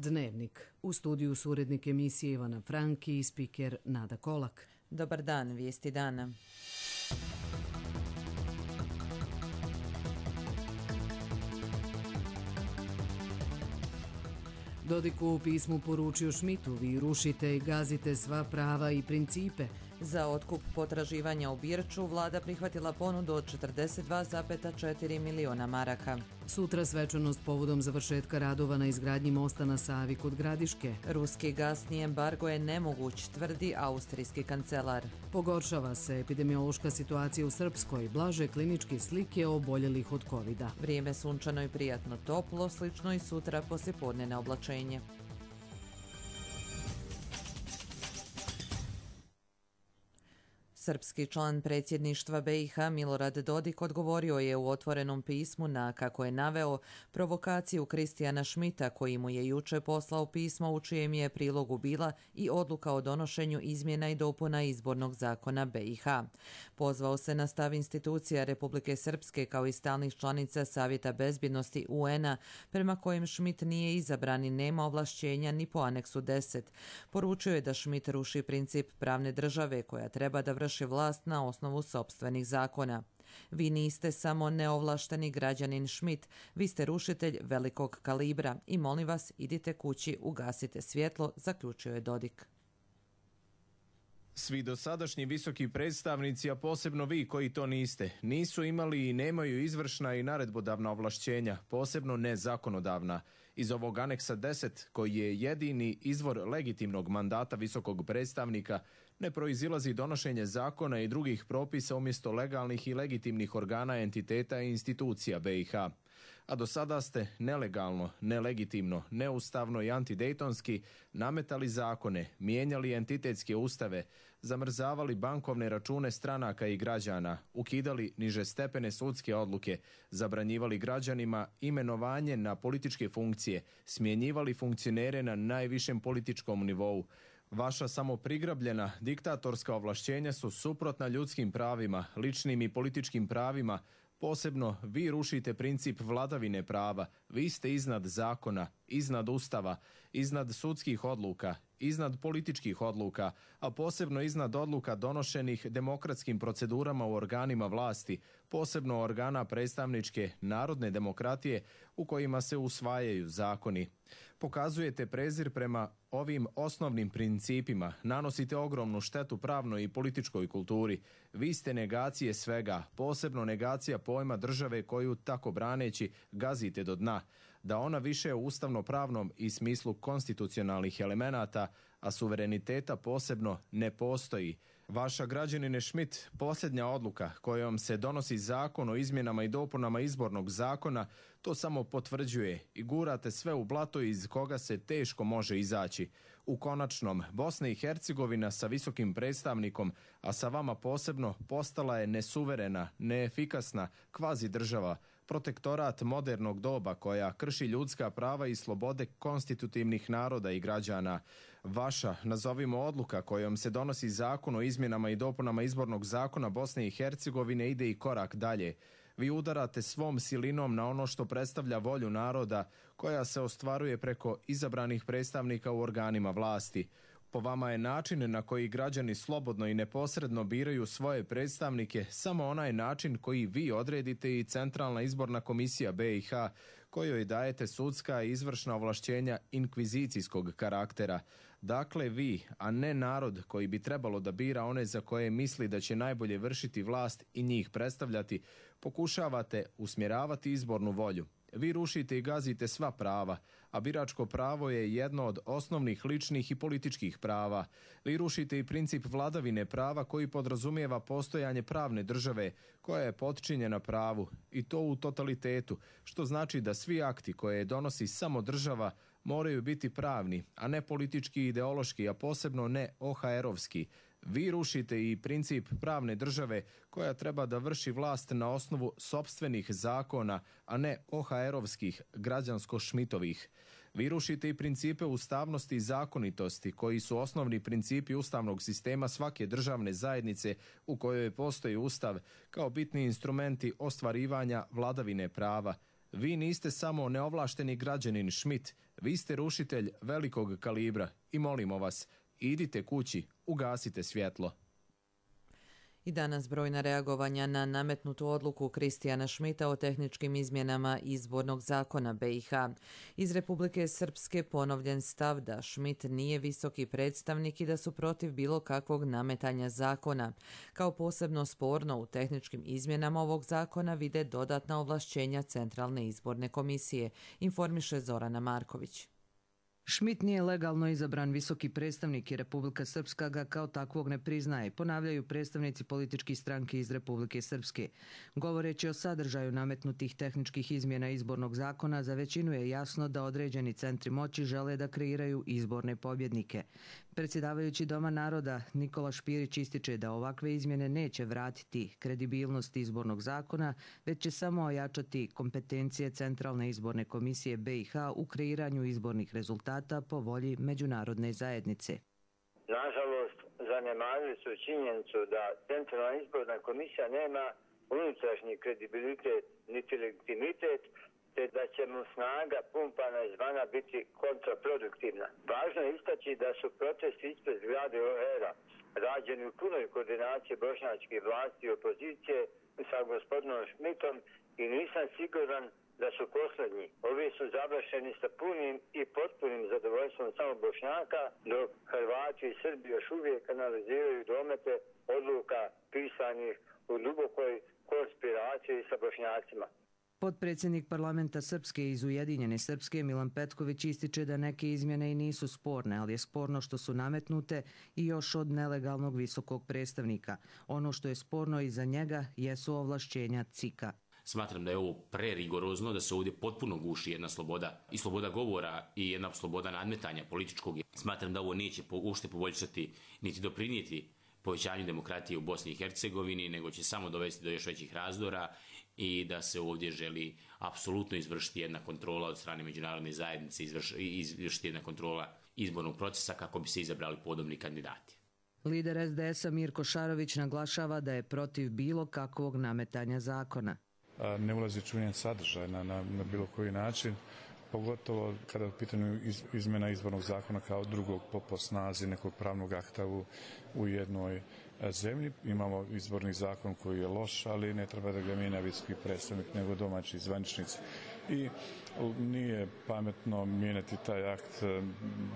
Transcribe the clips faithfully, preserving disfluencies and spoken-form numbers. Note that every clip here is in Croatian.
Dnevnik. U studiju su urednik emisije Ivana Franki i spiker Nada Kolak. Dobar dan, vijesti dana. Dodik u pismu poručio Šmitu: vi rušite i gazite sva prava i principe. Za otkup potraživanja u Birču vlada prihvatila ponudu od četrdeset dva zarez četiri miliona maraka. Sutra svečanost povodom završetka radova na izgradnji mosta na Savi kod Gradiške. Ruski gasni embargo je nemoguć, tvrdi austrijski kancelar. Pogoršava se epidemiološka situacija u Srpskoj, blaže kliničke slike oboljelih od kovida. Vrijeme sunčano i prijatno toplo, slično i sutra poslijepodne na oblačenje. Srpski član predsjedništva be i ha Milorad Dodik odgovorio je u otvorenom pismu na, kako je naveo, provokaciju Kristijana Šmita, koji mu je juče poslao pismo u čijem je prilogu bila i odluka o donošenju izmjena i dopuna izbornog zakona be i ha. Pozvao se na stav institucija Republike Srpske kao i stalnih članica Savjeta bezbjednosti u en a, prema kojem Šmit nije izabran i nema ovlašćenja ni po aneksu deset. Poručio je da Šmit ruši princip pravne države koja treba da vrši vlast na osnovu sopstvenih zakona. Vi niste samo neovlašteni građanin Šmit, vi ste rušitelj velikog kalibra i molim vas, idite kući, ugasite svjetlo, zaključio je Dodik. Svi dosadašnji visoki predstavnici, a posebno vi koji to niste, nisu imali i nemaju izvršna i naredbodavna ovlašćenja, posebno ne zakonodavna. Iz ovog aneksa deset, koji je jedini izvor legitimnog mandata visokog predstavnika, ne proizilazi donošenje zakona i drugih propisa umjesto legalnih i legitimnih organa, entiteta i institucija be i ha. A do sada ste nelegalno, nelegitimno, neustavno i antidejtonski nametali zakone, mijenjali entitetske ustave, zamrzavali bankovne račune stranaka i građana, ukidali nižestepene sudske odluke, zabranjivali građanima imenovanje na političke funkcije, smjenjivali funkcionere na najvišem političkom nivou. Vaša samoprigrabljena diktatorska ovlašćenja su suprotna ljudskim pravima, ličnim i političkim pravima. Posebno vi rušite princip vladavine prava, vi ste iznad zakona, iznad ustava, iznad sudskih odluka, iznad političkih odluka, a posebno iznad odluka donošenih demokratskim procedurama u organima vlasti, posebno organa predstavničke narodne demokratije u kojima se usvajaju zakoni. Pokazujete prezir prema ovim osnovnim principima, nanosite ogromnu štetu pravnoj i političkoj kulturi. Vi ste negacije svega, posebno negacija pojma države koju tako braneći gazite do dna, da ona više u ustavno-pravnom i smislu konstitucionalnih elemenata, a suvereniteta posebno ne postoji. Vaša, građanine Šmit, posljednja odluka kojom se donosi zakon o izmjenama i dopunama izbornog zakona to samo potvrđuje i gurate sve u blato iz koga se teško može izaći. U konačnom, Bosna i Hercegovina sa visokim predstavnikom, a sa vama posebno, postala je nesuverena, neefikasna kvazi država, protektorat modernog doba koja krši ljudska prava i slobode konstitutivnih naroda i građana. Vaša, nazovimo odluka kojom se donosi zakon o izmjenama i dopunama izbornog zakona Bosne i Hercegovine ide i korak dalje. Vi udarate svom silinom na ono što predstavlja volju naroda koja se ostvaruje preko izabranih predstavnika u organima vlasti. Po vama je način na koji građani slobodno i neposredno biraju svoje predstavnike samo onaj način koji vi odredite i Centralna izborna komisija be i ha, kojoj dajete sudska i izvršna ovlašćenja inkvizicijskog karaktera. Dakle vi, a ne narod koji bi trebalo da bira one za koje misli da će najbolje vršiti vlast i njih predstavljati, pokušavate usmjeravati izbornu volju. Vi rušite i gazite sva prava, a biračko pravo je jedno od osnovnih ličnih i političkih prava. Vi rušite i princip vladavine prava koji podrazumijeva postojanje pravne države koja je potčinjena pravu i to u totalitetu, što znači da svi akti koje donosi samo država moraju biti pravni, a ne politički i ideološki, a posebno ne o ha erovski. Vi rušite i princip pravne države koja treba da vrši vlast na osnovu sopstvenih zakona, a ne o ha erovskih, građansko-šmitovih. Vi rušite i principe ustavnosti i zakonitosti koji su osnovni principi ustavnog sistema svake državne zajednice u kojoj postoji ustav kao bitni instrumenti ostvarivanja vladavine prava. Vi niste samo neovlašteni građanin Šmit, vi ste rušitelj velikog kalibra i molimo vas, idite kući, ugasite svjetlo. I danas brojna reagovanja na nametnutu odluku Kristijana Šmita o tehničkim izmjenama izbornog zakona B i H. Iz Republike Srpske ponovljen stav da Šmit nije visoki predstavnik i da su protiv bilo kakvog nametanja zakona. Kao posebno sporno u tehničkim izmjenama ovog zakona vide dodatna ovlašćenja Centralne izborne komisije, informiše Zorana Marković. Šmit nije legalno izabran visoki predstavnik i Republika Srpska ga kao takvog ne priznaje, ponavljaju predstavnici političkih stranki iz Republike Srpske. Govoreći o sadržaju nametnutih tehničkih izmjena izbornog zakona, za većinu je jasno da određeni centri moći žele da kreiraju izborne pobjednike. Predsjedavajući Doma naroda Nikola Špirić ističe da ovakve izmjene neće vratiti kredibilnost izbornog zakona, već će samo ojačati kompetencije Centralne izborne komisije B i H u kreiranju izbornih rezultata po volji međunarodne zajednice. Nažalost, zanemarili su činjenicu da Centralna izborna komisija nema unutrašnji kredibilitet niti legitimitet, te da će mu snaga pumpana izvana biti kontraproduktivna. Važno je istaći da su protesti ispred zgrade O E R-a rađeni u punoj koordinaciji bošnjačke vlasti i opozicije sa gospodinom Šmitom i nisam siguran da su posljednji. Ovi su završeni sa punim i potpunim zadovoljstvom samo Bošnjaka, dok Hrvati i Srbi još uvijek analiziraju domete odluka pisanih u dubokoj konspiraciji sa Bošnjacima. Potpredsjednik parlamenta Srpske iz Ujedinjene Srpske Milan Petković ističe da neke izmjene i nisu sporne, ali je sporno što su nametnute i još od nelegalnog visokog predstavnika. Ono što je sporno i za njega jesu ovlašćenja C I K-a. Smatram da je ovo prerigorozno, da se ovdje potpuno guši jedna sloboda i sloboda govora i jedna sloboda nadmetanja političkog. Smatram da ovo neće uopšte poboljšati niti doprinijeti povećanju demokratije u Bosni i Hercegovini, nego će samo dovesti do još većih razdora i da se ovdje želi apsolutno izvršiti jedna kontrola od strane međunarodne zajednice, i izvršiti jedna kontrola izbornog procesa kako bi se izabrali podobni kandidati. Lider S D S-a Mirko Šarović naglašava da je protiv bilo kakvog nametanja zakona. Ne ulazi u njen sadržaj na, na, na bilo koji način, pogotovo kada je u pitanju iz, izmjena izbornog zakona kao drugog po, po snazi nekog pravnog akta u, u jednoj zemlji. Imamo izborni zakon koji je loš, ali ne treba da ga mijenja visoki predstavnik, nego domaći zvaničnici. I nije pametno mijenjati taj akt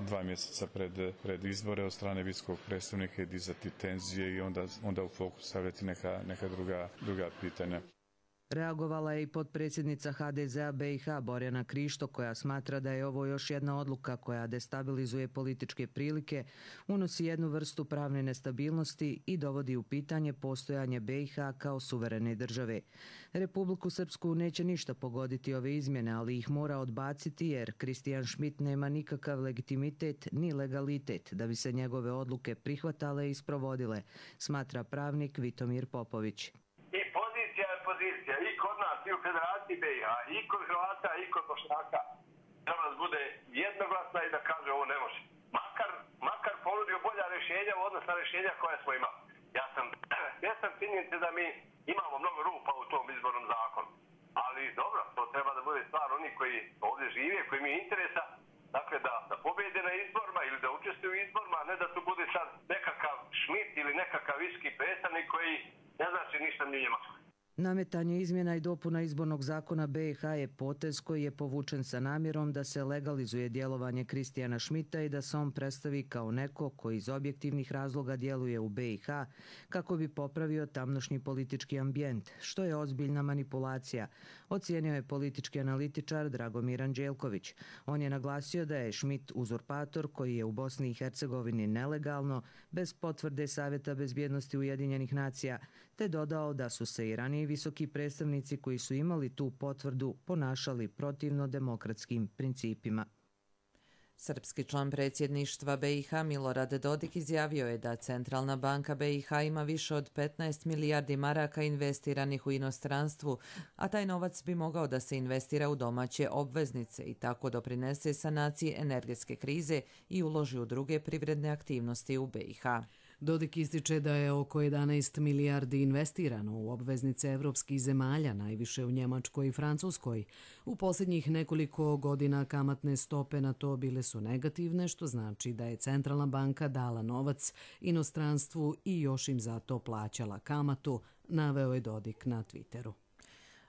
dva mjeseca pred, pred izbore od strane visokog predstavnika i dizati tenzije i onda, onda u fokus stavljati neka, neka druga, druga pitanja. Reagovala je i potpredsjednica H D Z-a B i H Borjana Krišto, koja smatra da je ovo još jedna odluka koja destabilizuje političke prilike, unosi jednu vrstu pravne nestabilnosti i dovodi u pitanje postojanje B i H kao suverene države. Republiku Srpsku neće ništa pogoditi ove izmjene, ali ih mora odbaciti jer Kristijan Šmit nema nikakav legitimitet ni legalitet da bi se njegove odluke prihvatale i sprovodile, smatra pravnik Vitomir Popović. I u Federaciji B i H, i kod Hrvata, i kod Bošnjaka, treba da bude jednoglasna i da kaže ovo ne može. Makar, makar ponudio bolja rješenja u odnosu na rješenja koja smo imali. Ja sam svjestan činjenice da mi imamo mnogo rupa u tom izbornom zakonu. Ali dobro, to treba da bude stvar oni koji ovdje žive, koji imaju interesa, dakle da, da pobjede na izborima ili da učestvuju u izborima, a ne da tu bude sad nekakav Šmit ili nekakav visoki predstavnik koji ne znači ništa ni Njemačkoj. Nametanje izmjena i dopuna izbornog zakona B i H je potez koji je povučen sa namjerom da se legalizuje djelovanje Kristijana Šmita i da se on predstavi kao neko koji iz objektivnih razloga djeluje u B i H kako bi popravio tamnošnji politički ambijent, što je ozbiljna manipulacija, ocijenio je politički analitičar Dragomir Anđelković. On je naglasio da je Šmit uzurpator koji je u Bosni i Hercegovini nelegalno, bez potvrde Savjeta bezbjednosti Ujedinjenih nacija, te dodao da su se i ranije visoki predstavnici koji su imali tu potvrdu ponašali protivno demokratskim principima. Srpski član predsjedništva B i H Milorad Dodik izjavio je da Centralna banka B i H ima više od petnaest milijardi maraka investiranih u inostranstvu, a taj novac bi mogao da se investira u domaće obveznice i tako doprinese sanaciji energetske krize i uloži u druge privredne aktivnosti u B i H. Dodik ističe da je oko jedanaest milijardi investirano u obveznice evropskih zemalja, najviše u Njemačkoj i Francuskoj. U posljednjih nekoliko godina kamatne stope na to bile su negativne, što znači da je centralna banka dala novac inostranstvu i još im zato plaćala kamatu, naveo je Dodik na Twitteru.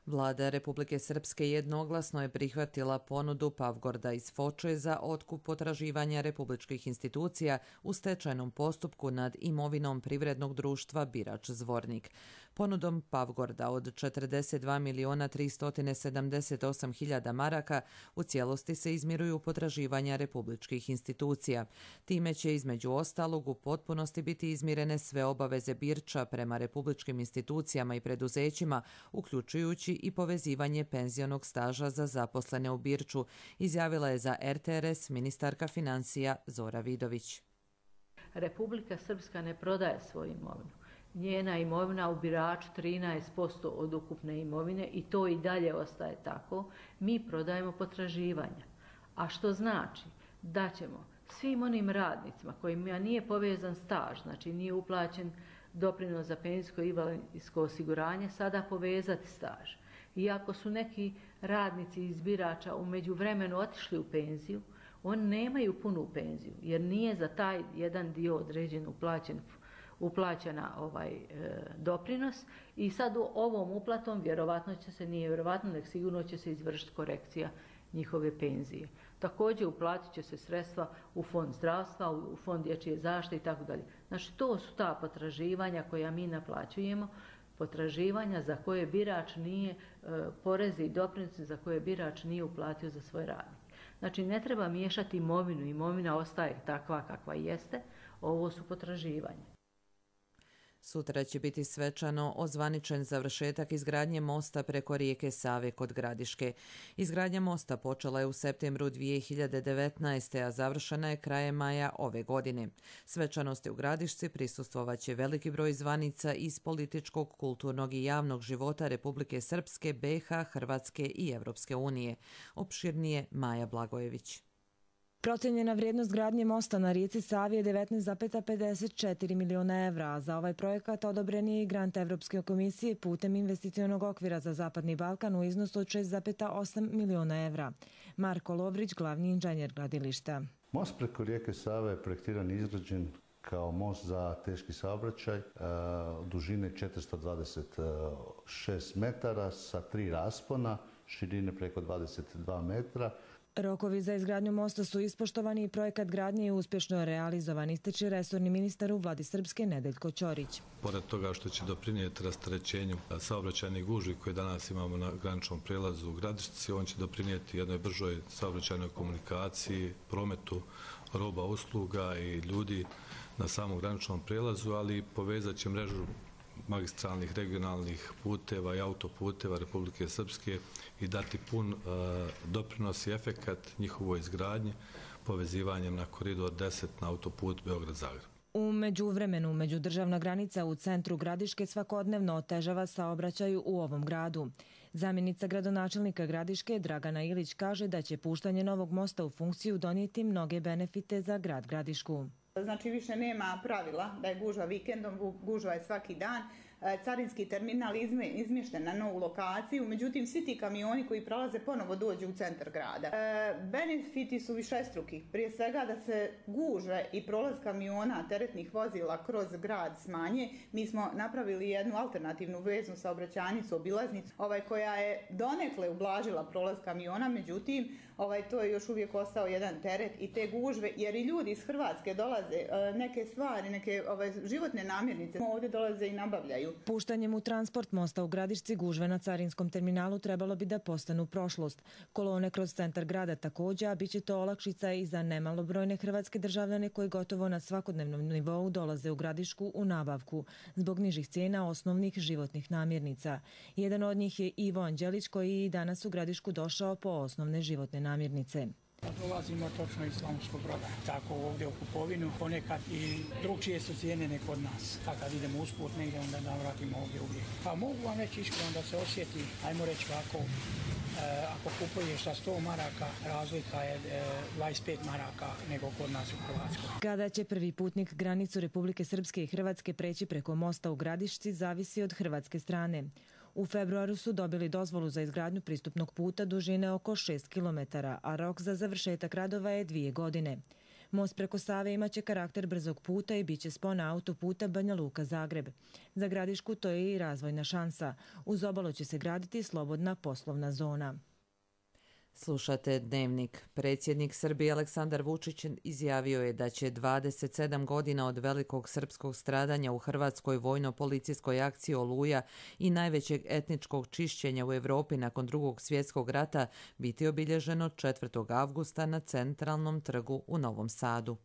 Vlada Republike Srpske jednoglasno je prihvatila ponudu Pavgorda iz Foče za otkup potraživanja republičkih institucija u stečajnom postupku nad imovinom privrednog društva Birač Zvornik. Ponudom Pavgorda od četrdeset dva miliona tristo sedamdeset osam hiljada maraka u cijelosti se izmiruju potraživanja republičkih institucija. Time će između ostalog u potpunosti biti izmirene sve obaveze Birča prema republičkim institucijama i preduzećima, uključujući i povezivanje penzionog staža za zaposlene u Birču, izjavila je za R T R S ministarka financija Zora Vidović. Republika Srpska ne prodaje svoju imovinu. Njena imovina u Biraču trinaest posto od ukupne imovine i to i dalje ostaje tako. Mi prodajemo potraživanja. A što znači da ćemo svim onim radnicima kojima nije povezan staž, znači nije uplaćen doprinos za penzijsko i invalidsko osiguranje, sada povezati staž. Iako su neki radnici iz Birača u međuvremenu otišli u penziju, oni nemaju punu penziju, jer nije za taj jedan dio određen uplaćen, uplaćena ovaj e, doprinos i sad u ovom uplatom vjerovatno će se, nije vjerovatno, nek sigurno će se izvršiti korekcija njihove penzije. Također uplatit će se sredstva u fond zdravstva, u fond dječje zaštite i tako dalje. Znači to su ta potraživanja koja mi naplaćujemo, potraživanja za koje birač nije, porezi i doprinosi za koje birač nije uplatio za svoj radnik. Znači ne treba miješati imovinu, imovina ostaje takva kakva jeste, ovo su potraživanja. Sutra će biti svečano ozvaničen završetak izgradnje mosta preko rijeke Save kod Gradiške. Izgradnja mosta počela je u septembru dvije hiljade devetnaeste. a završena je krajem maja ove godine. Svečanosti u Gradišci prisustvovaće veliki broj zvanica iz političkog, kulturnog i javnog života Republike Srpske, B i H, Hrvatske i Evropske unije. Opširnije Maja Blagojević. Procijenjena vrijednost gradnje mosta na rijeci Savi je devetnaest zarez pedeset četiri miliona evra, a za ovaj projekat odobren je i grant Evropske komisije putem investicionog okvira za Zapadni Balkan u iznosu od šest zarez osam miliona evra. Marko Lovrić, glavni inženjer gradilišta. Most preko rijeke Save je projektiran i izgrađen kao most za teški saobraćaj, dužine četiristo dvadeset šest metara sa tri raspona, širine preko dvadeset dva metra. Rokovi za izgradnju mosta su ispoštovani i projekat gradnje je uspješno realizovan, ističe resorni ministar u vladi Srpske Nedeljko Ćorić. Pored toga što će doprinijeti rasterećenju saobraćajnih gužvi koje danas imamo na graničnom prijelazu u Gradišci, on će doprinijeti jednoj bržoj saobraćajnoj komunikaciji, prometu roba, usluga i ljudi na samom graničnom prijelazu, ali povezat će mrežu magistralnih regionalnih puteva i autoputeva Republike Srpske i dati pun uh, doprinos i efekat njihovoj izgradnji povezivanjem na koridor deset na autoput Beograd-Zagreb. U međuvremenu, međudržavna granica u centru Gradiške svakodnevno otežava saobraćaju u ovom gradu. Zamjenica gradonačelnika Gradiške Dragana Ilić kaže da će puštanje novog mosta u funkciju donijeti mnoge benefite za grad Gradišku. Znači više nema pravila da je gužva vikendom, gužva je svaki dan. Carinski terminal izmješten na novu lokaciju, međutim svi ti kamioni koji prolaze ponovo dođu u centar grada. Benefiti su višestruki, prije svega da se gužve i prolaz kamiona teretnih vozila kroz grad smanje. Mi smo napravili jednu alternativnu veznu saobraćajnicu, obilaznicu, ovaj, koja je donekle ublažila prolaz kamiona, međutim ovaj, to je još uvijek ostao jedan teret i te gužve, jer i ljudi iz Hrvatske dolaze, neke stvari, neke ovaj, životne namirnice ovdje dolaze i nabavljaju. Puštanjem u transport mosta u Gradišci gužve na carinskom terminalu trebalo bi da postanu prošlost. Kolone kroz centar grada također, a bit će to olakšica i za nemalobrojne hrvatske državljane koji gotovo na svakodnevnom nivou dolaze u Gradišku u nabavku zbog nižih cijena osnovnih životnih namirnica. Jedan od njih je Ivo Anđelić koji i danas u Gradišku došao po osnovne životne namirnice. Dolazimo točno iz Slavonskog Broda, tako ovdje u kupovinu, ponekad i drugčije su cijene nek od nas. A kad idemo usput negdje, onda navratimo ovdje uvijek. Pa mogu vam reći iskreno da se osjeti, ajmo reći ovako, ako kupuješ sa sto maraka, razlika je dvadeset pet maraka nego kod nas u Hrvatskoj. Kada će prvi putnik granicu Republike Srpske i Hrvatske preći preko mosta u Gradišci zavisi od hrvatske strane. U februaru su dobili dozvolu za izgradnju pristupnog puta dužine oko šest kilometara, a rok za završetak radova je dvije godine. Most preko Save imaće karakter brzog puta i bit će spona autoputa Banja Luka-Zagreb. Za Gradišku to je i razvojna šansa. Uz obalu će se graditi slobodna poslovna zona. Slušate Dnevnik. Predsjednik Srbije Aleksandar Vučić izjavio je da će dvadeset sedam godina od velikog srpskog stradanja u hrvatskoj vojno-policijskoj akciji Oluja i najvećeg etničkog čišćenja u Europi nakon drugog svjetskog rata biti obilježeno četvrtog avgusta na Centralnom trgu u Novom Sadu.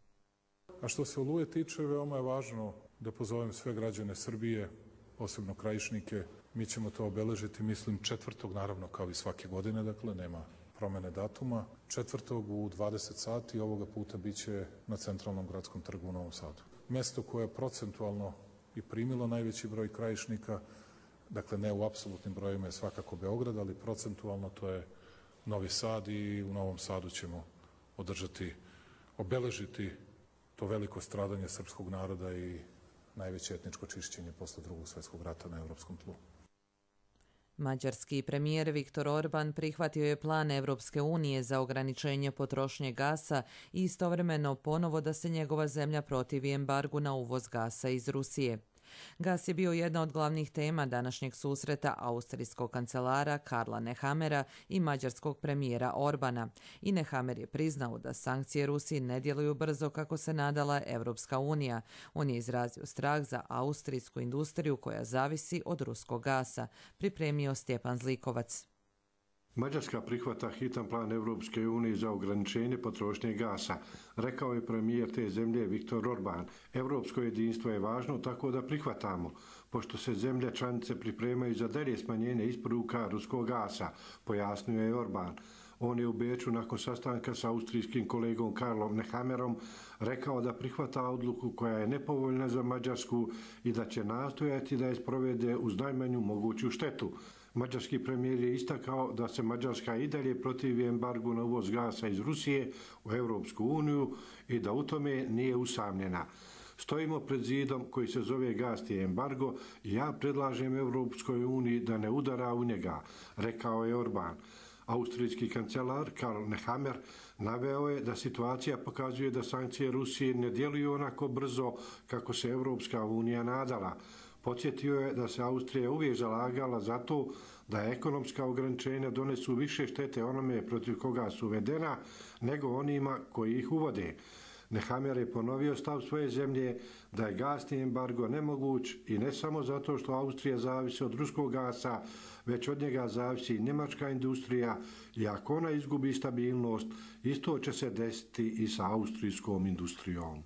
A što se Oluje tiče, veoma je važno da pozovem sve građane Srbije, posebno Krajišnike. Mi ćemo to obeležiti, mislim, četvrtog, naravno, kao i svake godine, dakle, nema promene datuma. Četvrtog u dvadeset sati ovoga puta biće na Centralnom gradskom trgu u Novom Sadu. Mesto koje je procentualno i primilo najveći broj krajišnika, dakle ne u apsolutnim brojima je svakako Beograd, ali procentualno to je Novi Sad i u Novom Sadu ćemo održati, obeležiti to veliko stradanje srpskog naroda i najveće etničko čišćenje posle drugog svjetskog rata na evropskom tlu. Mađarski premijer Viktor Orban prihvatio je plan Evropske unije za ograničenje potrošnje gasa i istovremeno ponovo da se njegova zemlja protivi embargu na uvoz gasa iz Rusije. Gas je bio jedna od glavnih tema današnjeg susreta austrijskog kancelara Karla Nehammera i mađarskog premijera Orbana. I Nehammer je priznao da sankcije Rusiji ne djeluju brzo kako se nadala Evropska unija. On je izrazio strah za austrijsku industriju koja zavisi od ruskog gasa, pripremio Stjepan Zlikovac. Mađarska prihvata hitan plan Evropske unije za ograničenje potrošnje gasa, rekao je premijer te zemlje Viktor Orban. Evropsko jedinstvo je važno, tako da prihvatamo, pošto se zemlje članice pripremaju za dalje smanjenje isporuka ruskog gasa, pojasnio je Orban. On je u Beču nakon sastanka sa austrijskim kolegom Karlom Nehammerom rekao da prihvata odluku koja je nepovoljna za Mađarsku i da će nastojati da je sprovede uz najmanju moguću štetu. Mađarski premijer je istakao da se Mađarska i dalje protivi embargu na uvoz gasa iz Rusije u Evropsku uniju i da u tome nije usamljena. Stojimo pred zidom koji se zove gasni embargo i ja predlažem Evropskoj uniji da ne udara u njega, rekao je Orban. Austrijski kancelar Karl Nehammer naveo je da situacija pokazuje da sankcije Rusije ne djeluju onako brzo kako se Evropska unija nadala. Podsjetio je da se Austrija uvijek zalagala za to da ekonomska ograničenja donesu više štete onome protiv koga su uvedena nego onima koji ih uvode. Nehammer je ponovio stav svoje zemlje da je gasni embargo nemoguć i ne samo zato što Austrija zavisi od ruskog gasa, već od njega zavisi i njemačka industrija i ako ona izgubi stabilnost, isto će se desiti i sa austrijskom industrijom.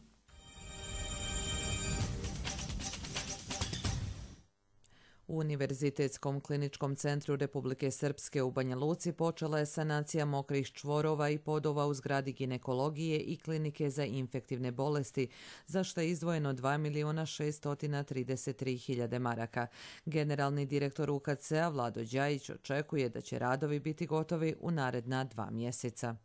U Univerzitetskom kliničkom centru Republike Srpske u Banja Luci počela je sanacija mokrih čvorova i podova u zgradi ginekologije i klinike za infektivne bolesti, za što je izdvojeno dva miliona šesto trideset tri hiljade maraka. Generalni direktor U K C-a Vlado Đajić očekuje da će radovi biti gotovi u naredna dva mjeseca.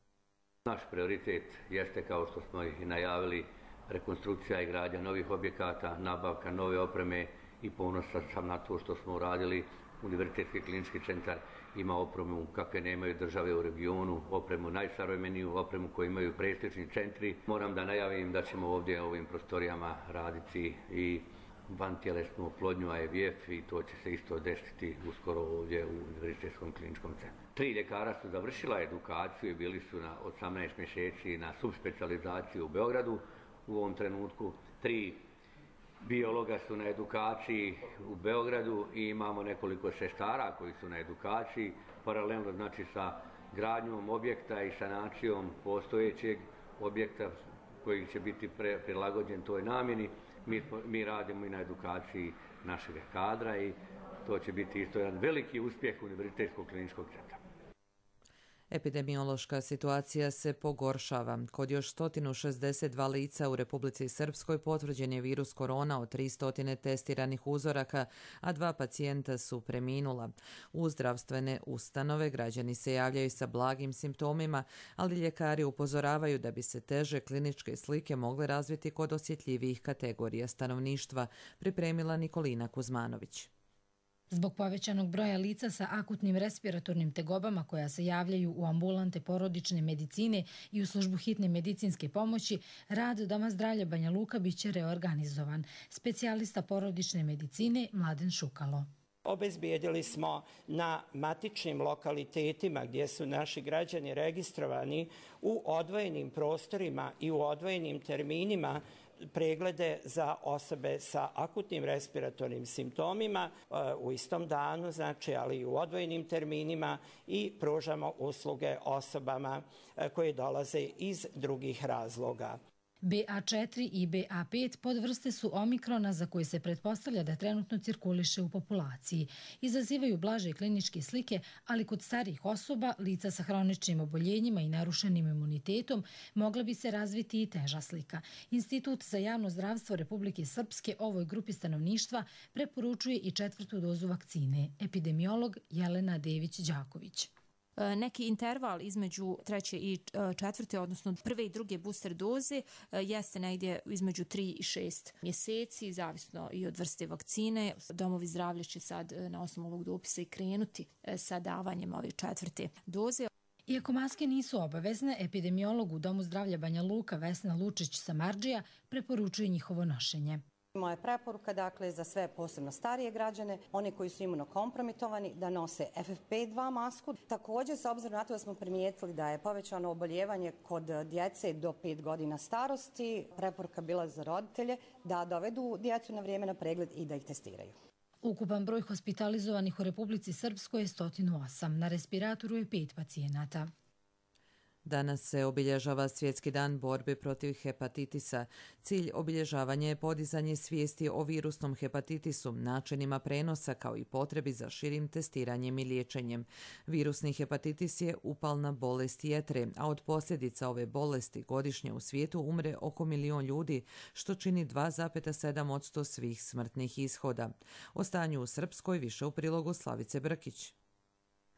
Naš prioritet jeste, kao što smo i najavili, rekonstrukcija i gradnja novih objekata, nabavka nove opreme, i ponosan sam na to što smo uradili. Univerzitetski klinički centar ima opremu kakve nemaju države u regionu, opremu najsavremeniju, opremu koju imaju prestižni centri. Moram da najavim da ćemo ovdje u ovim prostorijama raditi i vantjelesnu oplodnju I V F i to će se isto desiti uskoro ovdje u Univerzitetskom kliničkom centru. Tri ljekara su završila edukaciju i bili su na osamnaest mjeseci na subspecijalizaciji u Beogradu u ovom trenutku. Tri biologa su na edukaciji u Beogradu i imamo nekoliko sestara koji su na edukaciji, paralelno znači sa gradnjom objekta i sanacijom postojećeg objekta koji će biti pre, prilagođen toj namjeni. Mi, mi radimo i na edukaciji našeg kadra i to će biti isto jedan veliki uspjeh Univerzitetskog kliničkog centra. Epidemiološka situacija se pogoršava. Kod još sto šezdeset dva lica u Republici Srpskoj potvrđen je virus korona od tristo testiranih uzoraka, a dva pacijenta su preminula. U zdravstvene ustanove građani se javljaju sa blagim simptomima, ali ljekari upozoravaju da bi se teže kliničke slike mogle razviti kod osjetljivijih kategorija stanovništva, pripremila Nikolina Kuzmanović. Zbog povećanog broja lica sa akutnim respiratornim tegobama koja se javljaju u ambulante porodične medicine i u službu hitne medicinske pomoći, rad Doma zdravlja Banja Luka biće reorganizovan. Specijalista porodične medicine Mladen Šukalo. Obezbijedili smo na matičnim lokalitetima gdje su naši građani registrovani u odvojenim prostorima i u odvojenim terminima preglede za osobe sa akutnim respiratornim simptomima u istom danu, znači, ali i u odvojenim terminima, i pružamo usluge osobama koje dolaze iz drugih razloga. B A četiri i B A pet podvrste su omikrona za koje se pretpostavlja da trenutno cirkuliše u populaciji. Izazivaju blaže kliničke slike, ali kod starijih osoba, lica sa hroničnim oboljenjima i narušenim imunitetom, mogla bi se razviti i teža slika. Institut za javno zdravstvo Republike Srpske ovoj grupi stanovništva preporučuje i četvrtu dozu vakcine. Epidemiolog Jelena Dević-Đaković. Neki interval između treće i četvrte, odnosno prve i druge booster doze, jeste negdje između tri i šest mjeseci, zavisno i od vrste vakcine. Domovi zdravlja će sad na osnovu ovog dopisa i krenuti sa davanjem ove četvrte doze. Iako maske nisu obavezne, epidemiolog u Domu zdravlja Banja Luka Vesna Lučić-Samardžija preporučuje njihovo nošenje. Moja preporuka, dakle, za sve posebno starije građane, one koji su imunokompromitovani, da nose F F P dva masku. Također, s obzirom na to da smo primijetili da je povećano oboljevanje kod djece do pet godina starosti, preporuka bila za roditelje da dovedu djecu na vrijeme na pregled i da ih testiraju. Ukupan broj hospitalizovanih u Republici Srpskoj je sto osam. Na respiratoru je pet pacijenata. Danas se obilježava Svjetski dan borbe protiv hepatitisa. Cilj obilježavanja je podizanje svijesti o virusnom hepatitisu, načinima prenosa kao i potrebi za širim testiranjem i liječenjem. Virusni hepatitis je upalna bolest jetre, a od posljedica ove bolesti godišnje u svijetu umre oko milion ljudi, što čini dva zarez sedam posto svih smrtnih ishoda. O stanju u Srpskoj više u prilogu Slavice Brkić.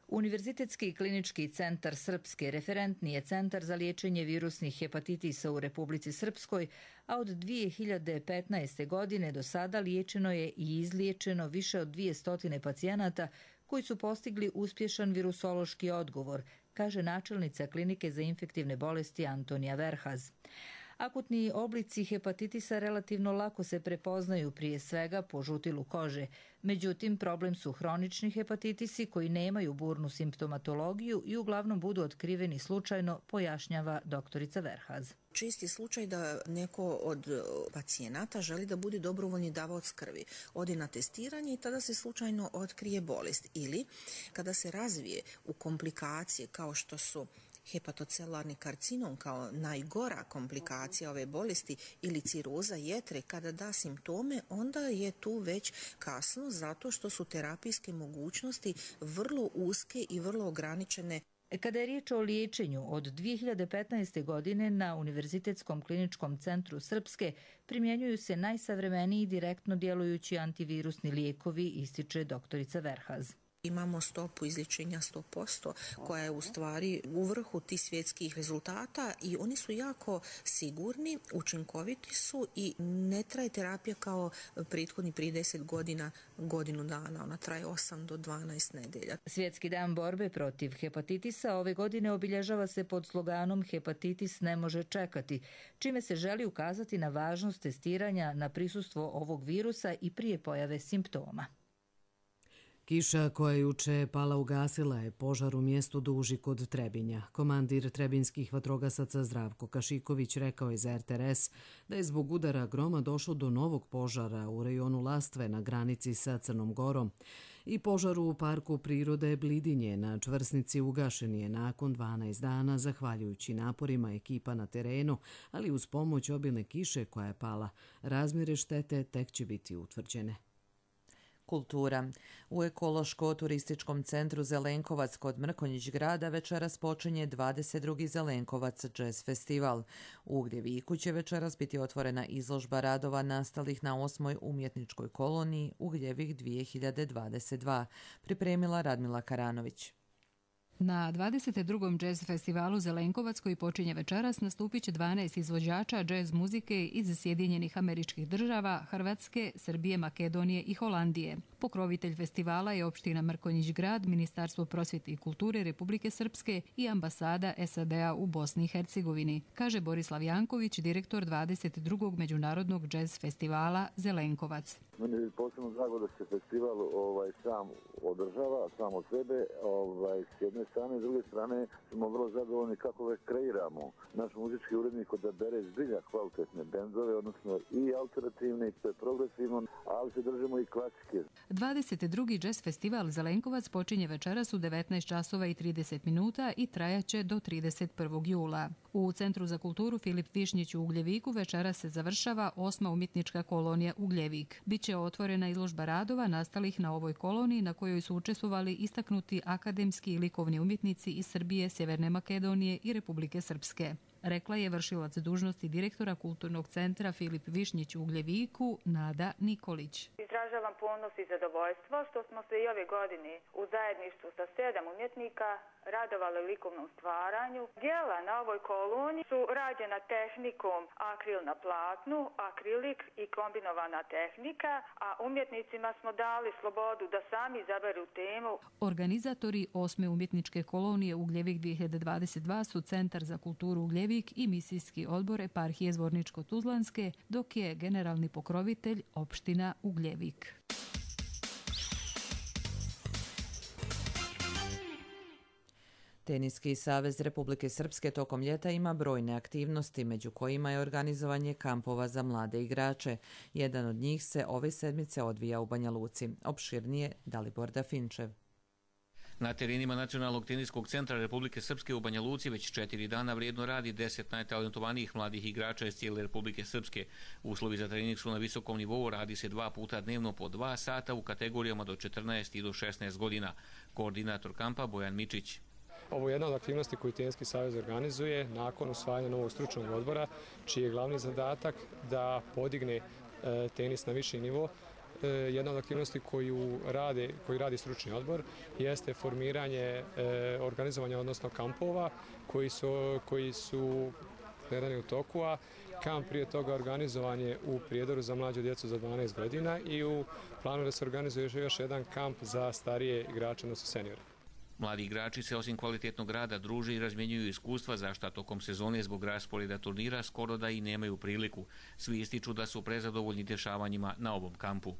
Univerzitetski klinički centar Srpske referentni je centar za liječenje virusnih hepatitisa u Republici Srpskoj, a od dvije hiljade petnaeste. godine do sada liječeno je i izliječeno više od dvjesto pacijenata koji su postigli uspješan virusološki odgovor, kaže načelnica klinike za infektivne bolesti Antonija Verhaz. Akutni oblici hepatitisa relativno lako se prepoznaju, prije svega po žutilu kože. Međutim, problem su hronični hepatitisi koji nemaju burnu simptomatologiju i uglavnom budu otkriveni slučajno, pojašnjava doktorica Verhaz. Čisti slučaj da neko od pacijenata želi da bude dobrovoljni davaoc krvi. Ode na testiranje i tada se slučajno otkrije bolest. Ili kada se razvije u komplikacije kao što su hepatocelularni karcinom kao najgora komplikacija ove bolesti ili ciroza jetre, kada da simptome, onda je tu već kasno zato što su terapijske mogućnosti vrlo uske i vrlo ograničene. Kada je riječ o liječenju, od dvije hiljade petnaeste. godine na Univerzitetskom kliničkom centru Srpske primjenjuju se najsavremeniji direktno djelujući antivirusni lijekovi, ističe doktorica Verhaz. Imamo stopu izlječenja sto posto koja je u stvari u vrhu tih svjetskih rezultata i oni su jako sigurni, učinkoviti su i ne traje terapija kao prethodni prije deset godina, godinu dana. Ona traje osam do dvanaest nedelja. Svjetski dan borbe protiv hepatitisa ove godine obilježava se pod sloganom Hepatitis ne može čekati, čime se želi ukazati na važnost testiranja na prisustvo ovog virusa i prije pojave simptoma. Kiša koja juče pala ugasila je požar u mjestu Duži kod Trebinja. Komandir trebinskih vatrogasaca Zdravko Kašiković rekao je za R T R S da je zbog udara groma došlo do novog požara u rejonu Lastve na granici sa Crnom Gorom. I požar u parku prirode Blidinje na Čvrsnici ugašen je nakon dvanaest dana zahvaljujući naporima ekipa na terenu, ali uz pomoć obilne kiše koja je pala. Razmjere štete tek će biti utvrđene. Kultura. U ekološko-turističkom centru Zelenkovac kod Mrkonjić grada večeras počinje dvadeset drugi Zelenkovac jazz festival. U Ugljeviku će večeras biti otvorena izložba radova nastalih na osmoj umjetničkoj koloniji Ugljevik dvije hiljade dvadeset dva, pripremila Radmila Karanović. Na dvadeset drugom jazz festivalu Zelenkovac koji počinje večeras nastupit će dvanaest izvođača jazz muzike iz Sjedinjenih Američkih Država, Hrvatske, Srbije, Makedonije i Holandije. Pokrovitelj festivala je opština Mrkonjić grad, Ministarstvo prosvjete i kulture Republike Srpske i ambasada S A D-a u Bosni i Hercegovini, kaže Borislav Janković, direktor dvadeset drugog međunarodnog jazz festivala Zelenkovac. Meni je posebno drago da se festival ovaj, sam održava, sam od sebe, ovaj, s jedne strane, s druge strane smo vrlo zadovoljni kako već kreiramo. Naš muzički urednik odabere zbilja kvalitetne bendove, odnosno i alternativne, i progresivno, ali se držimo i klasike. dvadeset drugi jazz festival Zelenkovac počinje večeras u devetnaest časova i trideset minuta i trajaće do trideset prvog jula. U Centru za kulturu Filip Višnjić u Ugljeviku večeras se završava osma umjetnička kolonija Ugljevik. Biće otvorena izložba radova nastalih na ovoj koloniji na kojoj su učestvovali istaknuti akademski i likovni umjetnici iz Srbije, Sjeverne Makedonije i Republike Srpske, rekla je vršilac dužnosti direktora Kulturnog centra Filip Višnjić u Ugljeviku Nada Nikolić. Izražavam ponos i zadovoljstvo što smo se i ove godine u zajedništvu sa sedam umjetnika radovali likovnom stvaranju. Djela na ovoj koloniji su rađena tehnikom akril na platnu, akrilik i kombinovana tehnika, a umjetnicima smo dali slobodu da sami izaberu temu. Organizatori osme umjetničke kolonije Ugljevik dvije hiljade dvadeset dva su Centar za kulturu Ugljevik i misijski odbor eparhije Zvorničko-Tuzlanske, dok je generalni pokrovitelj opština Ugljevik. Teniski savez Republike Srpske tokom ljeta ima brojne aktivnosti, među kojima je organizovanje kampova za mlade igrače. Jedan od njih se ove sedmice odvija u Banja Luci. Opširnije Dalibor Dafinčev. Na terenima Nacionalnog teniskog centra Republike Srpske u Banja Luci već četiri dana vrijedno radi deset najtalentovanijih mladih igrača iz cijele Republike Srpske. Uslovi za trening su na visokom nivou, radi se dva puta dnevno po dva sata u kategorijama do četrnaest i do šesnaest godina. Koordinator kampa Bojan Mičić. Ovo je jedna od aktivnosti koju Teniski savez organizuje nakon usvajanja novog stručnog odbora, čiji je glavni zadatak da podigne tenis na viši nivo. Jedna od aktivnosti koju radi, koju radi stručni odbor jeste formiranje organizovanja, odnosno kampova koji su, koji su gledani u toku, a kamp prije toga organizovan je u Prijedoru za mlađu djecu za dvanaest godina i u planu da se organizuje još jedan kamp za starije igrače, odnosno seniore. Mladi igrači se osim kvalitetnog rada druže i razmjenjuju iskustva, za šta tokom sezone zbog rasporeda turnira skoro da i nemaju priliku. Svi ističu da su prezadovoljni dešavanjima na ovom kampu.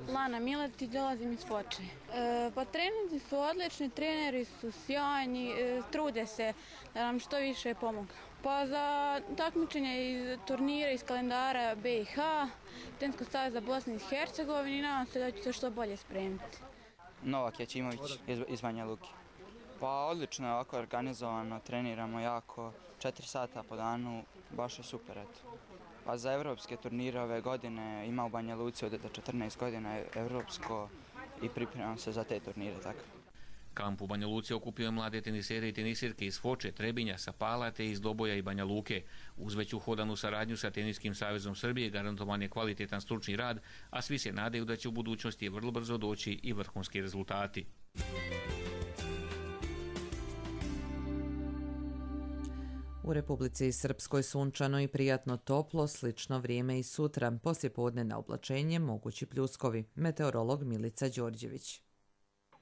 Lana Miletić, dolazim iz Foče. E, pa treninzi su odlični, treneri su sjajni, e, trude se da nam što više pomogu. Pa za takmičenje iz turnira iz kalendara B i H, Teniskog saveza Bosne i Hercegovine, nadam se da ću se što bolje spremiti. Novak Jačimović iz, iz Banja Luke. Pa odlično je ovako organizovano, treniramo jako, četiri sata po danu, baš je super, eto. Pa za evropske turnire ove godine ima u Banja Luci od četrnaest godina evropsko i pripremam se za te turnire, tako. Kamp u Banja Luci okupio je mlade tenisere i tenisirke iz Foče, Trebinja, Sapala te iz Doboja i Banja Luke. Uz već uhodanu saradnju sa Teniskim savezom Srbije garantovan je kvalitetan stručni rad, a svi se nadaju da će u budućnosti vrlo brzo doći i vrhunski rezultati. U Republici Srpskoj sunčano i prijatno toplo, slično vrijeme i sutra. Poslijepodne na oblačenje mogući pljuskovi. Meteorolog Milica Đorđević.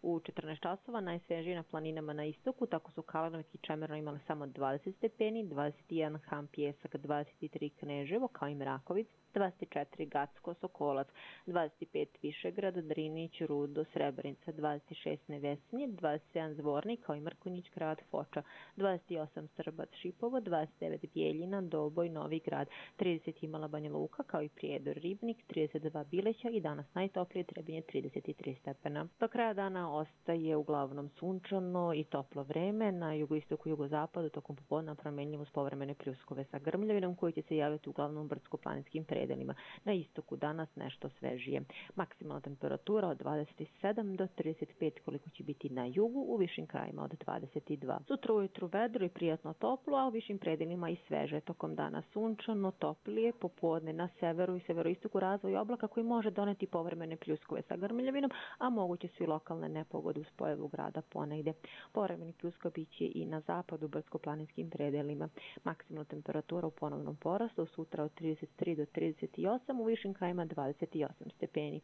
U četrnaest časova najsvježije na planinama na istoku, tako su Kalanovik i Čemerno imali samo dvadeset stepeni, dvadeset jedan Han Pjesak, dvadeset tri Kneževo, kao i Mrakovic, dvadeset četiri Gacko, Sokolac, dvadeset pet Višegrad, Drinić, Rudo, Srebrenica, dvadeset šest Nevesinje, dvadeset sedam Zvornik, kao i Mrkonjić grad, Foča, dvadeset osam Srbac, Šipovo, dvadeset devet Bijeljina, Doboj, Novi grad, trideset imala Banja Luka, kao i Prijedor, Ribnik, trideset dva Bileća i danas najtoplije Trebinje trideset tri stepena. Do kraja dana ostaje uglavnom sunčano i toplo vreme, na jugoistoku i jugozapadu tokom popodne promenljivo s povremene pljuskove sa grmljavinom koji će se javiti uglavnom brdsko-planinskim predjelima. predelima. Na istoku danas nešto svežije. Maksimalna temperatura od dvadeset sedam do trideset pet koliko će biti na jugu, u višim krajima od dvadeset dva. Sutra ujutru vedro i prijatno toplo, a u višim predelima i sveže. Tokom dana sunčano, toplije, popodne na severu i severoistoku razvoj oblaka koji može doneti povremene pljuskove sa grmljavinom, a moguće su i lokalne nepogode uz pojavu grada ponegde. Povremeni pljuskova biće i na zapadu brdsko-planinskim predelima. Maksimalna temperatura u ponovnom porastu sutra od trideset tri do trideset osam, u višim krajima dvadeset osam stepeni.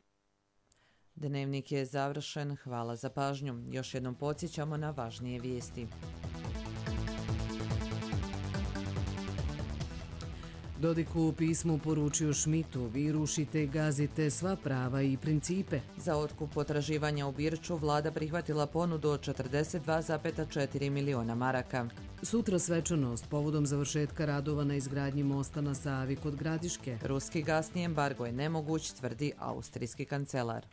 Dnevnik je završen. Hvala za pažnju. Još jednom podsjećamo na važnije vijesti. Dodik u pismu poručio Šmitu: vi rušite i gazite sva prava i principe. Za otkup potraživanja u Birču vlada prihvatila ponudu od četrdeset dva zarez četiri miliona maraka. Sutra svečanost povodom završetka radova na izgradnji mosta na Savi kod Gradiške. Ruski gasni embargo je nemoguć, tvrdi austrijski kancelar.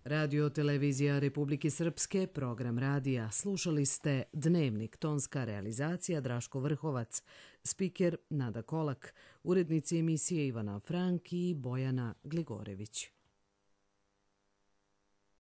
Radio televizija Republike Srpske, program radija. Slušali ste Dnevnik, tonska realizacija Draško Vrhovac, spiker Nada Kolak, urednici emisije Ivana Frank i Bojana Gligorević.